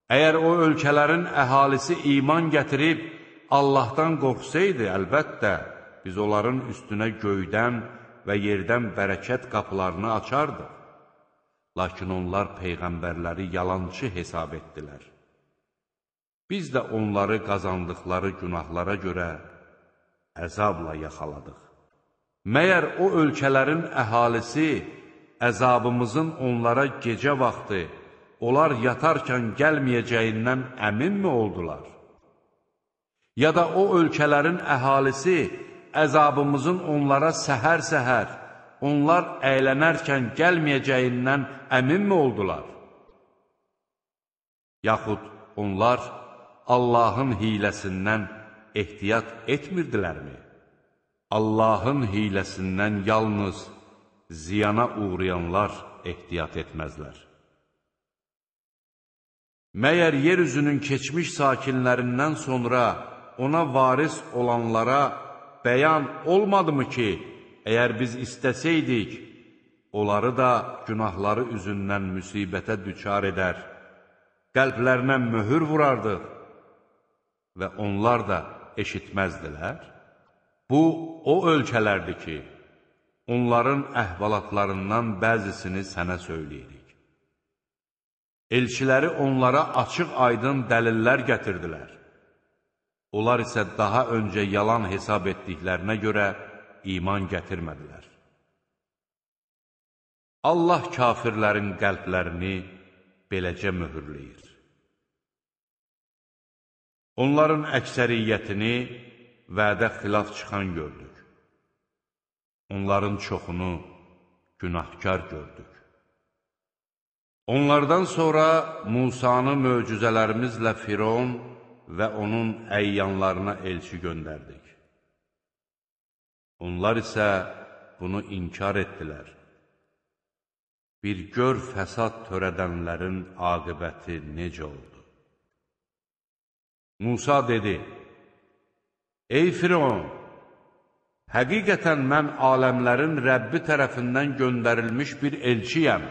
Əgər o ölkələrin əhalisi iman gətirib, Allahdan qorxsaydı, əlbəttə, biz onların üstünə göydən və yerdən bərəkət qapılarını açardıq. Lakin onlar peyğəmbərləri yalançı hesab etdilər. Biz də onları qazandıqları günahlara görə əzabla yaxaladıq. Məyər o ölkələrin əhalisi əzabımızın onlara gecə vaxtı, onlar yatarkən gəlməyəcəyindən əminmi oldular? Ya da o ölkələrin əhalisi əzabımızın onlara səhər-səhər, onlar əylənərkən gəlməyəcəyindən əminmi oldular? Yaxud onlar Allahın hiləsindən ehtiyat etmirdilərmi? Allahın hiləsindən yalnız ziyana uğrayanlar ehtiyat etməzlər. Məyər yeryüzünün keçmiş sakinlərindən sonra ona varis olanlara bəyan olmadımı ki, əgər biz istəsəydik, onları da günahları üzündən müsibətə düçar edər, qəlblərinə möhür vurardıq və onlar da eşitməzdilər? Bu, o ölkələrdir ki, onların əhvalatlarından bəzisini sənə söyləyirik. Elçiləri onlara açıq-aydın dəlillər gətirdilər. Onlar isə daha öncə yalan hesab etdiklərinə görə iman gətirmədilər. Allah kafirlərin qəlblərini beləcə möhürləyir. Onların əksəriyyətini vədə xilaf çıxan gördük. Onların çoxunu günahkar gördük. Onlardan sonra Musanı möcüzələrimizlə Firon və onun əyyanlarına elçi göndərdik. Onlar isə bunu inkar etdilər. Bir gör fəsad törədənlərin aqibəti necə oldu? Musa dedi, ey Firon, həqiqətən mən aləmlərin Rəbbi tərəfindən göndərilmiş bir elçiyəm.